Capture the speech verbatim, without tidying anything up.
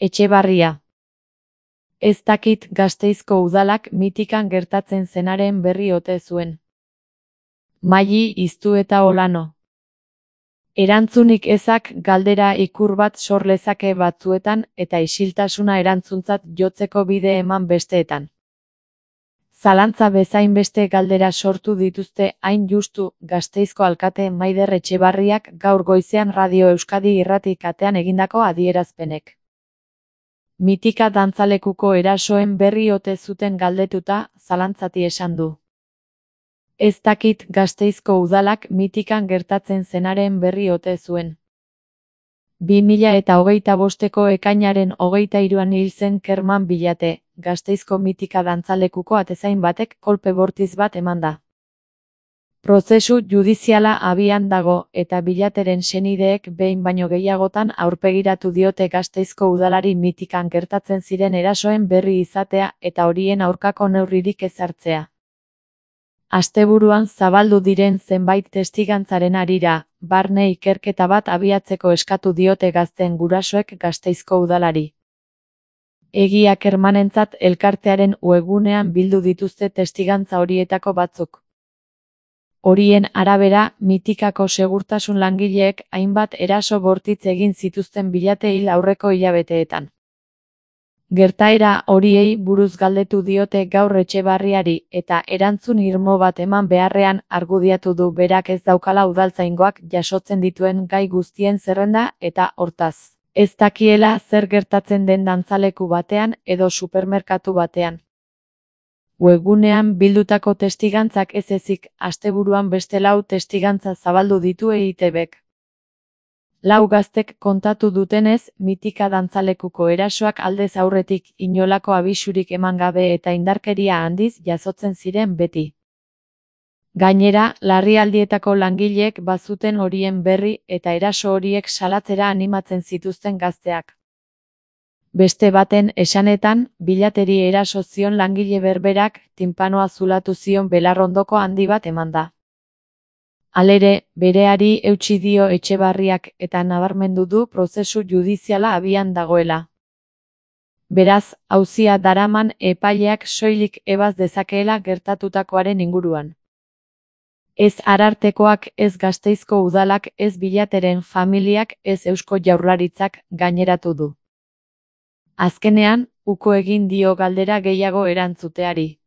Etxebarria. Ez dakit Gasteizko udalak Mitikan gertatzen zenaren berri ote zuen. Maili Iztu eta Olano. Erantzunik ezak galdera ikur bat sor lezake batzuetan eta isiltasuna erantzuntzat jotzeko bide eman besteetan. Zalantza bezain beste galdera sortu dituzte hain justu Gasteizko alkate Maider Etxebarriak gaur goizean Radio Euskadi irrati katean egindako adierazpenek. Mitika dantzalekuko erasoen berri ote zuten galdetuta, zalantzati esan du. Ez dakit Gasteizko udalak Mitikan gertatzen zenaren berri ote zuen. bi mila eta hogeita bosteko ekainaren hogeita hiruan hil zen Kerman Bilate, Gasteizko Mitika dantzalekuko atezain batek kolpe bortiz bat emanda. Prozesu judiziala abian dago eta Bilateren senideek behin baino gehiagotan aurpegiratu diote Gasteizko udalari Mitikan gertatzen ziren erasoen berri izatea eta horien aurkako neurririk ez hartzea. Asteburuan zabaldu diren zenbait testigantzaren harira, barne ikerketa bat abiatzeko eskatu diote gazteen gurasoek Gasteizko udalari. Egia Kermanentzat elkartearen webgunean bildu dituzte testigantza horietako batzuk. Horien arabera, Mitikako segurtasun langileek hainbat eraso bortitz egin zituzten Bilate hil aurreko hilabeteetan. Gertaera horiei buruz galdetu diote gaur Etxebarriari eta erantzun irmo bat eman beharrean argudiatu du berak ez daukala udaltzaingoak jasotzen dituen gai guztien zerrenda eta hortaz, ez dakiela zer gertatzen den dantzaleku batean edo supermerkatu batean. Webgunean bildutako testigantzak ez ezik, asteburuan beste lau testigantza zabaldu ditu E I T Bek. Lau gaztek kontatu dutenez, Mitika dantzalekuko erasoak aldez aurretik inolako abisurik eman gabe eta indarkeria handiz jasotzen ziren beti. Gainera, larrialdietako langileek bazuten horien berri eta eraso horiek salatzera animatzen zituzten gazteak. Beste baten esanetan, Bilateri eraso zion langile berberak tinpanoa zulatu zion belarrondoko handi bat emanda. Halere, bereari eutsi dio Etxebarriak eta nabarmendu du prozesu judiziala abian dagoela. Beraz, auzia daraman epaileak soilik ebaz dezakeela gertatutakoaren inguruan. Ez Arartekoak, ez Gasteizko udalak, ez Bilateren familiak, ez Eusko Jaurlaritzak gaineratu du. Azkenean, uko egin dio galdera gehiago erantzuteari.